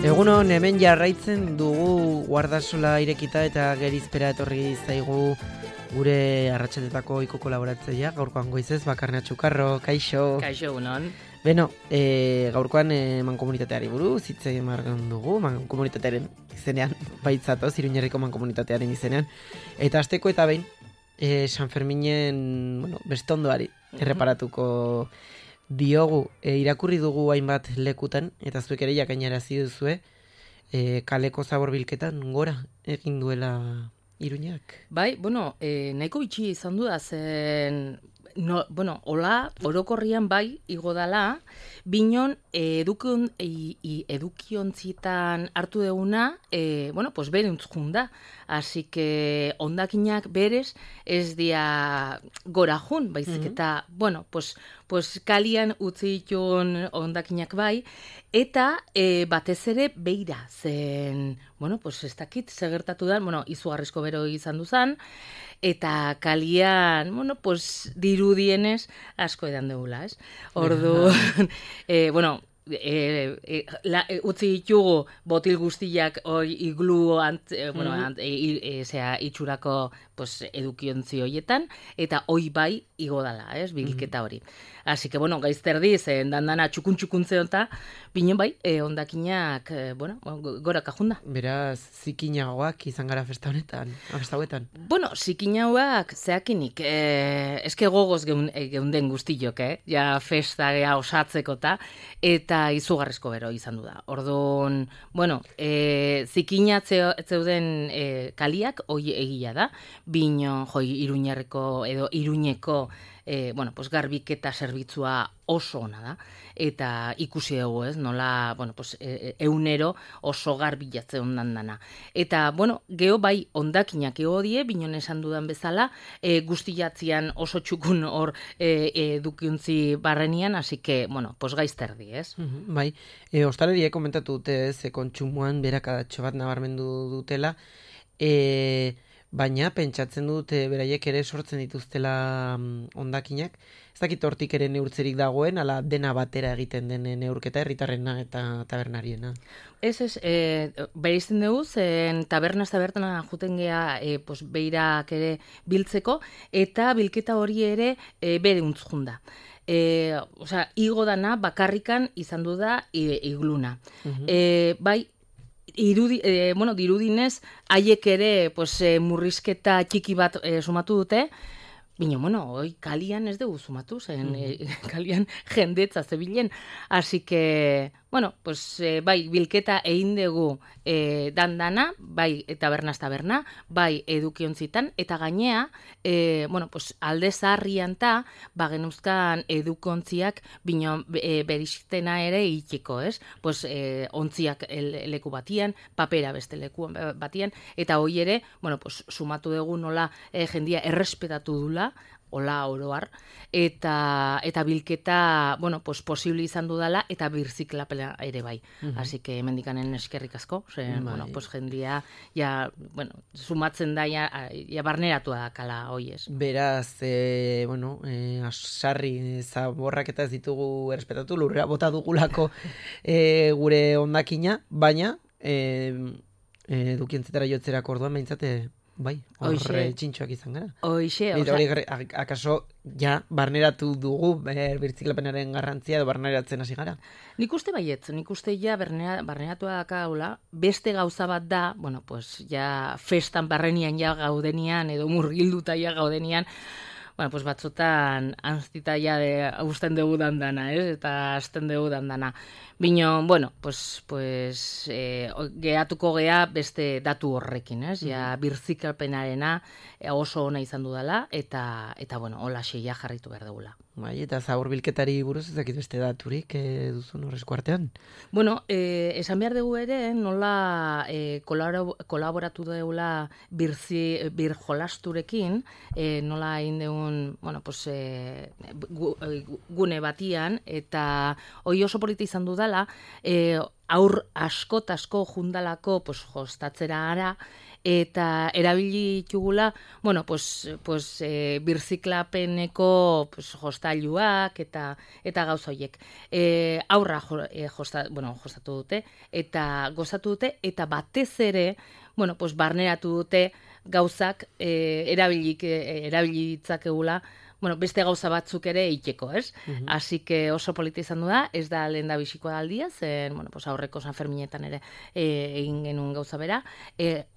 Egunon, hemen jarraitzen dugu guardasola irekita eta gerizpera etorri zaigu gure arratsaldeetako ohiko kolaboratzailea, gaurkoan goizez Bakarna Txukarro, kaixo. Kaixo, egunon. Beno, gaurkoan mankomunitateari buruz hitz egin dugu, mankomunitatearen izenean, baitzatoz, Iruñerriko mankomunitatearen izenean. Eta hasteko eta behin, San Ferminen, bestondoari erreparatuko diogu, irakurri dugu hainbat lekutan, eta zuek ere jakainarazi duzue, kaleko zabor bilketan gora egin duela Iruñak. Bai, nahiko bitxi izan du da zen, hola, orokorrian bai, igo dala, binon edukiontzitan hartu deguna, beruntz junda. Así que ondakinak berez ez dia gora jun, baizik eta, kalian utzi ditun ondakinak bai, eta batez ere beira zen, ez dakit, segertatu da, izugarrizko bero izan duzan, eta kalian, dirudienez asko edan degula, ez? Orduan, utzi ditugu botil guztiak iglu itxurako edukiontzi horietan, eta hoi bai igo dala, ez, bilketa hori. Así que, gaizterdi, zen dandana txukun-txukuntze onta, binen bai, ondakinak, gora kajunda. Beraz, zikinagoak izan gara festa honetan, festa hauetan? Zikinagoak zeakinik, eske gogoz geunden guztiok, ja festa osatzeko eta izugarrizko bero izan du da. Orduan, zikinatzeuden kaliak, hoi egia da, bino, Iruñerreko edo Iruñeko garbiketa zerbitzua oso ona da, eta ikusi dugu, ez, nola, eunero oso garbitze ondan dana. Eta, geho bai ondakinak ego die, binon esan dudan bezala, guztiatzian oso txukun hor edukiuntzi barrenian, hasi que, gaizterdi, ez? Bai, ostaleriek komentatu dute, kontsumoan berakadatxo bat nabarmendu dutela, baina pentsatzen dute beraiek ere sortzen dituztela ondakinak. Ez dakit hortik ere neurtzerik dagoen, ala dena batera egiten den neurketa herritarrena eta tabernariena. Ez, bereizten dugu, zen tabernaz juten gea beirak ere biltzeko, eta bilketa hori ere bereuntz junda. Igo dana bakarrikan izan du da igluna. Bai, dirudinez, haiek ere murrizketa txiki bat sumatu dute, hoi kalian ez dugu sumatu, zen kalian jendetza zebilen, así que, bai, bilketa egin dugu dandana, bai, taberna, bai, edukiontzitan, eta gainea, alde zaharrian genuzkan edukontziak beristena ere itxiko, ez? Ontziak leku batian, papera beste leku batian, eta hoi ere, sumatu dugu nola jendia errespetatu dula, hola oroar, eta bilketa, posible izan dudala, eta birziklapela ere bai. Así que hemendikanen eskerrik asko, jendia, sumatzen da, barneratu da kala hoiez. Beraz, sarri zaborrak eta ez ditugu errespetatu, lurrera bota dugulako gure ondakina, baina, edukientzetara jotzerako orduan behintzate, bai, horre txintxoak izan gara. Hoixe, hori akaso ja barneratu dugu birtziklapenaren garrantzia edo barneratzen hasi gara? Nik uste baietz, nik uste ja barneratua dakaula, beste gauza bat da, ja festan barrenian ja gaudenian, edo murgilduta ja gaudenian, batzotan anztita ja usten dugu dandana, ez? Eta azten dugu dandana. Bino, gehatuko gea beste datu horrekin, ez? Ja, birzikalpenarena oso ona izan dudala, eta hola xeia jarritu behar dugula. Bai, eta zabor bilketari buruz ezakit beste daturik duzun horrezko artean? Esan behar dugu ere, nola kolaboratu dugula bir jolasturekin, nola egin dugun, gune batian, eta hoi oso polita izan dudala, aur asko jundalako jostatzera ara, eta erabili ditugula, bueno, birziklapeneko jostailuak eta gauza horiek. Aurra jostatu dute eta gozatu dute, eta batez ere, bueno, barneratu dute gauzak erabili ditzakegula, bueno, beste gauza batzuk ere iteko, ez? Así que oso polita izan du da, ez da lehen da bizikoa aldia, zen, bueno, aurreko San Ferminetan ere egin genuen gauza bera,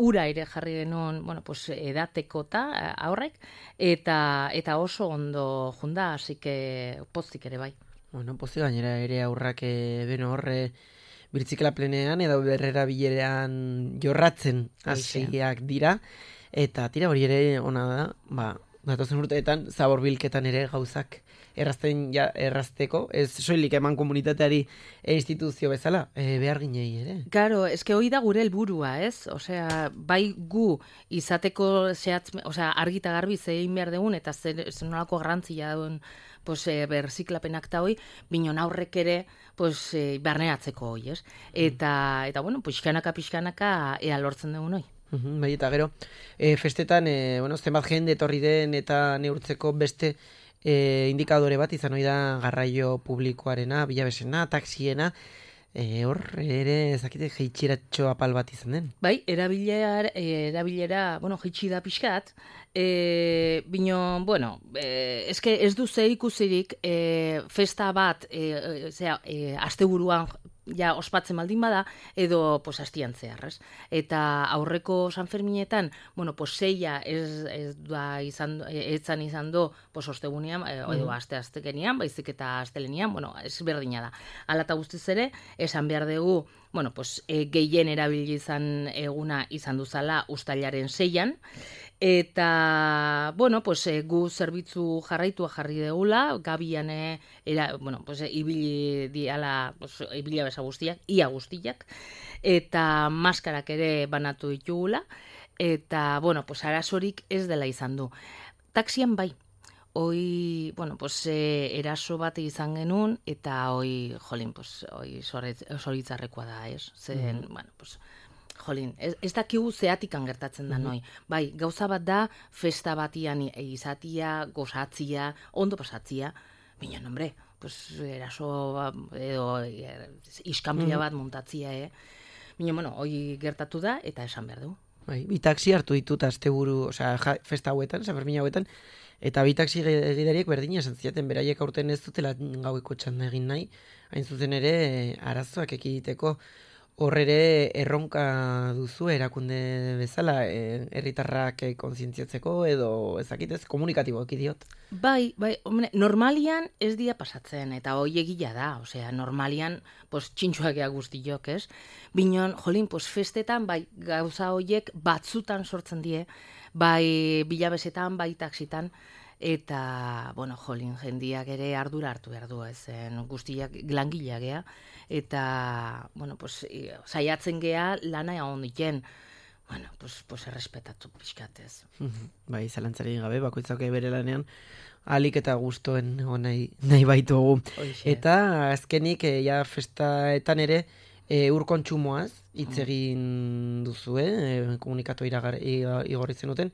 ura ere jarri genuen, bueno, edatekota aurrek, eta oso ondo junda, así que pozik ere bai. Bueno, pozik gainera ere aurrak horre birtziklaplenean edo berrera bilerean jorratzen hasiak dira, eta tira hori ere ona da, datozen urteetan zaborbilketan ere gauzak errazteko, ez soilik eman komunitateari instituzio bezala, behar ginei ere. Claro, eske hori da gure helburua, ez? Osea, bai gu izateko argi eta garbi zein behar dugun, eta zer nolako garrantzia duen berziklapenak eta hoi, binon aurrek ere barneratzeko hoi, ez? Eta bueno, pixkanaka ea lortzen dugun hoi. Bai, eta gero, festetan, zenbat jende etorri den eta neurtzeko beste indikadore bat izan hori da garraio publikoarena, bilabesena, taxiena, hor ere ezakite jeitxiratxo apal bat izan den. Bai, erabilera, jeitsi da pixkat, eske ez du ze ikusirik festa bat, asteburuan ja ospatzen baldin bada, edo hastian zeharrez. Eta aurreko San Ferminetan, seia ez izan do ostegunean, edo aste-astekenian, baizik eta astelenian, ez berdina da. Hala eta guztiz ere, esan behar dugu, gehien erabili izan eguna izan duzala uztailaren 6an, eta, gu zerbitzu jarri degula, gabian, ibili diala, ibilia besa guztiak, ia guztiak, eta maskarak ere banatu ditugula, eta, arazorik ez dela izan du. Taxian bai, hoi, eraso bat izan genuen, eta hoi, zoritzarrekoa da, ez? Zen, jolin, ez dakigu zeatikan gertatzen da noi. Bai, gauza bat da, festa batian izatia, gozatzia, ondo pasatzia, baina, hombre, eraso edo iskanpila bat montatzia, baina, hoi gertatu da, eta esan behar du. Bai, bi taxi hartu ditut asteburu, festa hauetan, San Fermin hauetan, eta bi taxi gidariek berdina esan ziaten, beraiek aurten ez dutela gaueko txanda egin nahi, hain zuzen ere arazoak ekiditeko. Hor ere erronka duzu erakunde bezala, herritarrak kontzientziatzeko edo ezakitez komunikatiboak idiot. Bai, hombre, normalian ez dia pasatzen, eta hoi egia da, normalian txintxoak ea guztiok, ez? Binon, jolin, festetan, bai, gauza hoiek batzutan sortzen die, bai bilabesetan, bai taksitan, eta, jolin, jendiak ere ardura hartu behar du, guztiak langileak gea, eta, saiatzen gea lana egon diken, errespetatu pixkatez. Bai, zalantzari gabe, bakoitzak bere lanean, alik eta gustoen nahi baitugu. Eta azkenik, festaetan ere, ur kontsumoaz hitz egin duzue, komunikatu igorri zenuten,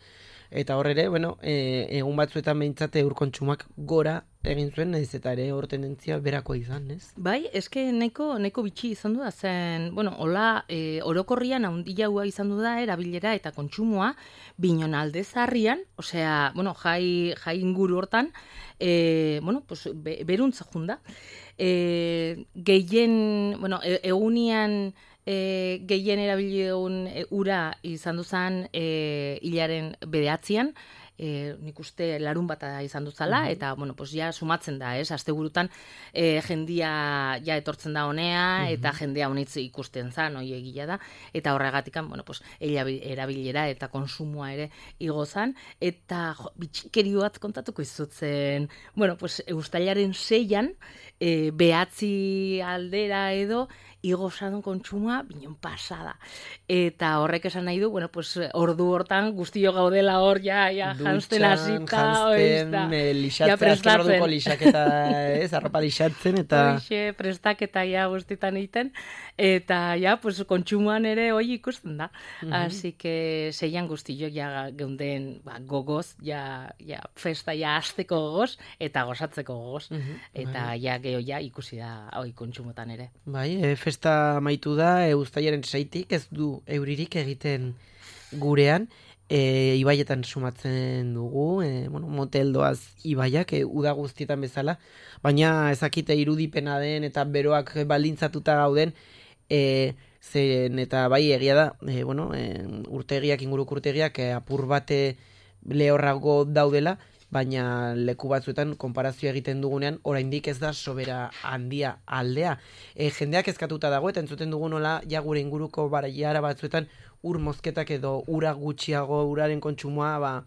eta hor ere, egun batzuetan behintzate ur kontsumoak gora egin zuen, nahiz eta ere hor tendentzia berako izan, ez? Bai, eske nahiko bitxi izan du da, zen, hola, orokorrian handia izan du da, erabilera eta kontsumoa, binon alde zarrian, jai inguru hortan, beruntza junda. Egunian gehien erabili egun ura izan duzan hilaren 9an, nik uste larun bata izan duzala, eta, ja sumatzen da, asteburutan jendia ja etortzen da honea, eta jendea honitz ikusten zan, hoi egia da, eta horregatikan, erabilera eta konsumoa ere igozan, eta bitxikeri bat kontatuko izutzen, uztailaren 6an, 9 aldera edo, igo zadun kontsumua, binon pasada. Eta horrek esan nahi du, bueno, pues, ordu hortan guztio gaudela hor, ja janzten hasita, lixatzen, azken orduko lixaketa, arropa lixatzen, eta... Hoxe, prestaketa ja guztietan egiten, eta ja, pues, kontsumoan ere hoi ikusten da. Así que zeian guztio ja geunden gogoz, ja festa ja azteko gogoz, eta gozatzeko gogoz. Eta ja geho ja ikusi da hoi kontsumotan ere. Bai, festa amaitu da, uztailaren 6tik ez du euririk egiten gurean, ibaietan sumatzen dugu, moteldoaz ibaiak, uda guztietan bezala, baina ezakite irudipena den eta beroak baldintzatuta gauden, zen eta bai egia da, urtegiak, inguruko urtegiak apur bate lehorrago daudela, baina leku batzuetan konparazio egiten dugunean oraindik ez da sobera handia aldea. Jendeak eskatuta dago eta entzuten dugu nola ja gure inguruko baraiara batzuetan ur mozketak edo ura gutxiago uraren kontsumoa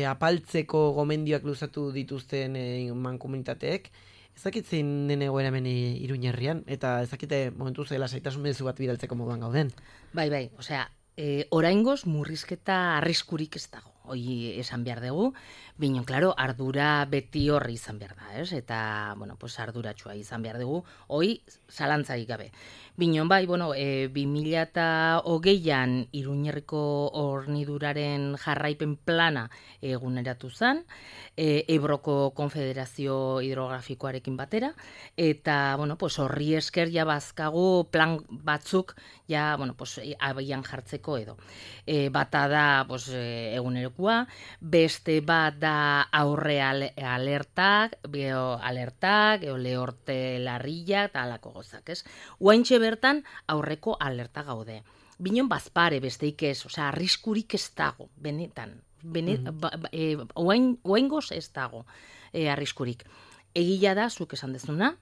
apaltzeko gomendioak luzatu dituzten mankomunitateek. Ezakitzen den egoera hemen Iruñerrian eta ezakite momentu zela saitasun mezu bat bidaltzeko moduan gauden. Bai, osea, oraingoz murrizketa arriskurik ez dago. Hoi esan behar dugu, bino, klaro, ardura beti horri izan behar da, ez? Eta, pues arduratsua izan behar dugu, hoi zalantzaik gabe. Bino, bai, 2020an Iruñerriko horniduraren jarraipen plana eguneratu zen, Ebroko Konfederazio Hidrografikoarekin batera, eta, pues horri esker ja bazkagu plan batzuk, ja, abian jartzeko edo. Bata da, eguneroko beste bat da aurre alertak, lehorte larrilla eta alako gozak, ez? Oaintxe bertan aurreko alerta gaude. Binon bazpare besteik ez, osea, arriskurik ez dago, benetan. Oaingoz ez dago arriskurik. Egila da, zuk esan dezuna,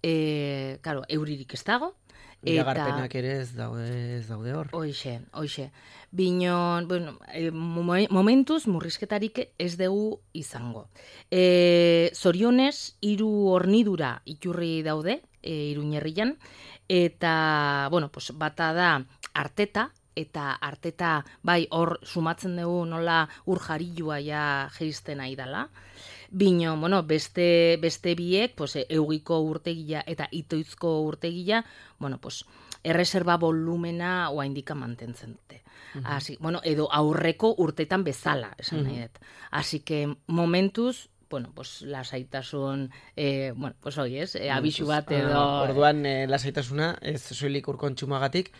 euririk ez dago, iragarpenak ere ez daude hor. Hoxe. Binon, momentuz murrizketarik ez dugu izango. Zorionez, 3 hornidura iturri daude, Iruñerrian, eta, bata da Arteta, eta Arteta, bai, hor sumatzen dugu nola ur jarilua ja jeisten nahi dela. Bino, beste biek, eugiko urtegia eta itoizko urtegia, erreserba volumena oaindika mantentzen dute. Así, edo aurreko urtetan bezala, esan nahi dut. Así que momentuz, lasaitasun, hoi ez, abisu bat edo... Orduan, lasaitasuna, ez soilik urkontxumagatik,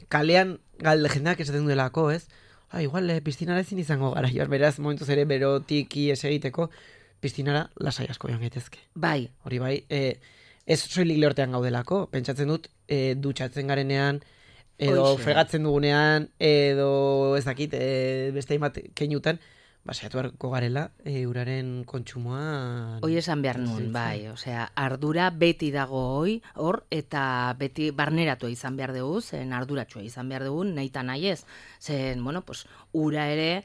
kalean galde jendeak esaten duelako, ez? Igual, piztinara ezin izango gara, beraz, momentuz ere berotik ies egiteko, piztinara lasai asko joan gaitezke. Bai. Hori bai, ez soilik lehortean gaudelako, pentsatzen dut, dutxatzen garenean, edo fregatzen dugunean, edo ez dakit, beste hainbat keinutan, saiatu beharko garela, uraren kontsumoa... Hoi esan behar nun, bai, osea, ardura beti dago hor, eta beti barneratu izan behar dugu, zen arduratsua izan behar dugu, nahi eta nahi ez, zen, ura ere,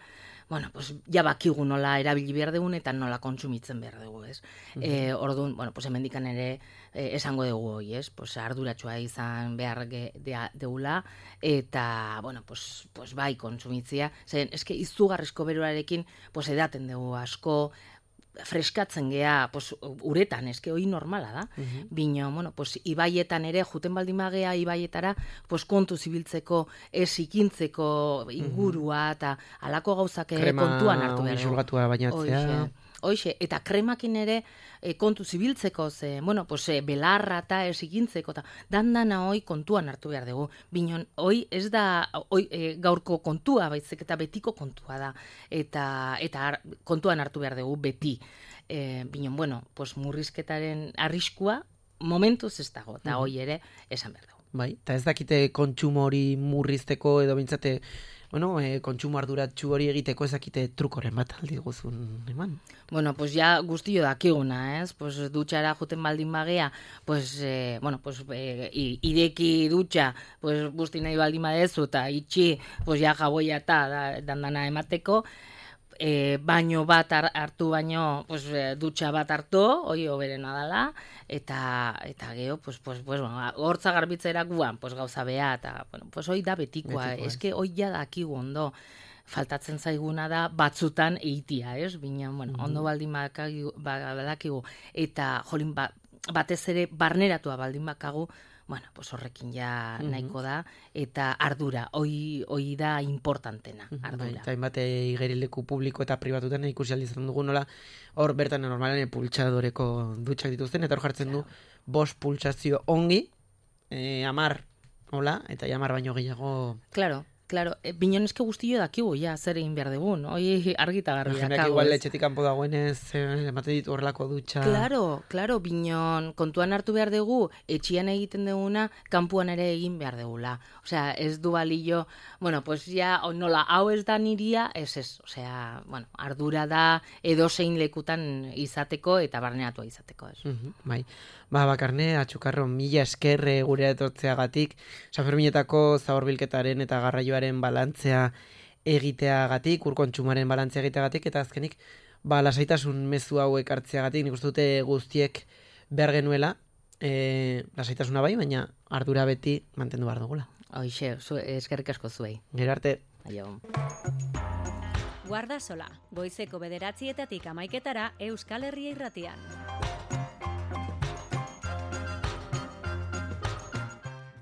ja bakigu nola erabili behar dugun eta nola kontsumitzen behar dugu, ez? Orduan, hemendikan ere esango dugu hoi, ez? Arduratsua izan behar deula, eta, bai, kontsumitzia, zen, eske izugarrizko beroarekin, edaten dugu asko, freskatzen gea, uretan, eske hoi normala da. Bino, ibaietan ere, juten baldin magea ibaietara, kontu zibiltzeko, ez ikintzeko ingurua, eta alako gauzak kontuan hartu behar. Krema bisulgatua bainatzea. Hoxe, eta kremakin ere kontu zibiltzeko, belarra eta ez ikintzeko, eta dandana hoi kontuan hartu behar dugu. Binon, hoi ez da gaurko kontua, baizik eta betiko kontua da, eta kontuan hartu behar dugu beti. Binon, murrizketaren arriskua momentuz ez dago, eta hoi ere esan behar dugu. Bai, eta ez dakite kontsumo hori murrizteko edo bintzate, kontsumo arduratsu hori egiteko ezakite trukoren bat aldi guzun eman. Ja guztio dakiguna, ez? Dutxara juten baldin bagea, ireki dutxa, busti nahi baldin badezu, eta itxi, ja jaboia eta dandana emateko, baino bat hartu baino, pues, dutxa bat hartu, hoi hoberena dela, eta geho, hortza garbitzera guan, pues, gauza beha, eta, bueno, pues, hoi da betikoa, eske hoi ja dakigu ondo, faltatzen zaiguna da batzutan eitia, ez? Bina, bueno, ondo baldin badakigu, eta jolin batez ere barneratua baldin bakagu, bueno, pues horrekin ja nahiko da, eta ardura, hoi da importantena, ardura. Eta hainbat igerileku publiko eta pribatutan ikusi aldizan dugu nola, hor bertan normalen pultsadoreko dutxak dituzten, eta hor jartzen du 5 pultsazio ongi, 10, hola, eta 10 baino gehiago... Claro, binon eske guztio dakigu, ja, zer egin behar dugun, hoi argita garbi dakago. Jendeak igual etxetik kanpo dagoenez, emate ditu horrelako dutxa... Claro, binon, kontuan hartu behar dugu, etxian egiten duguna, kanpuan ere egin behar dugula. Osea, ez du balio, bueno, pues ja, nola, hau ez da niria, ez, osea, bueno, ardura da edozein lekutan izateko eta barneratua izateko, ez. Bai, Bakarne, Atxukarro, mila esker gure etortzeagatik, Sanferminetako zaborbilketaren eta garraioaren balantzea egiteagatik, urkontsumaren balantzea egiteagatik, eta azkenik, lasaitasun mezu hau ekartzeagatik, nik uste dute guztiek behar genuela, lasaitasuna bai, baina ardura beti mantendu behar dugula. Hoixe, eskerrik asko zuei. Gero arte. Aio. Guardasola, goizeko 9:00 Euskal Herria Irratian.